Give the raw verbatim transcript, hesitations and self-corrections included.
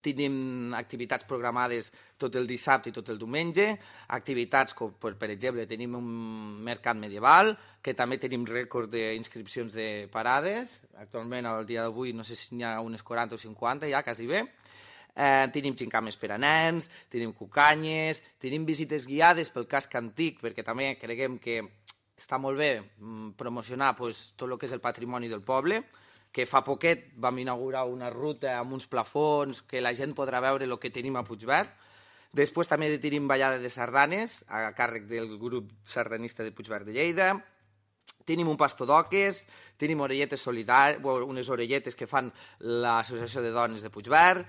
Tenim activitats programades tot el dissabte i tot el diumenge, activitats com, per exemple, tenim un mercat medieval, que també tenim rècord d'inscripcions de parades. Actualment, al dia d'avui, no sé si n'hi ha unes quaranta o cinquanta, ja, quasi bé. Eh, tenim gincames per a nens, tenim cucanyes, tenim visites guiades pel casc antic, perquè també creguem que està molt bé promocionar pues, tot el que és el patrimoni del poble, que fa poquet vam inaugurar una ruta amb uns plafons que la gent podrà veure el que tenim a Puigverd. Després també tenim ballada de sardanes a càrrec del grup sardanista de Puigverd de Lleida. Tenim un pastor d'oques, tenim orelletes solidàries, unes orelletes que fan l'Associació de Dones de Puigverd.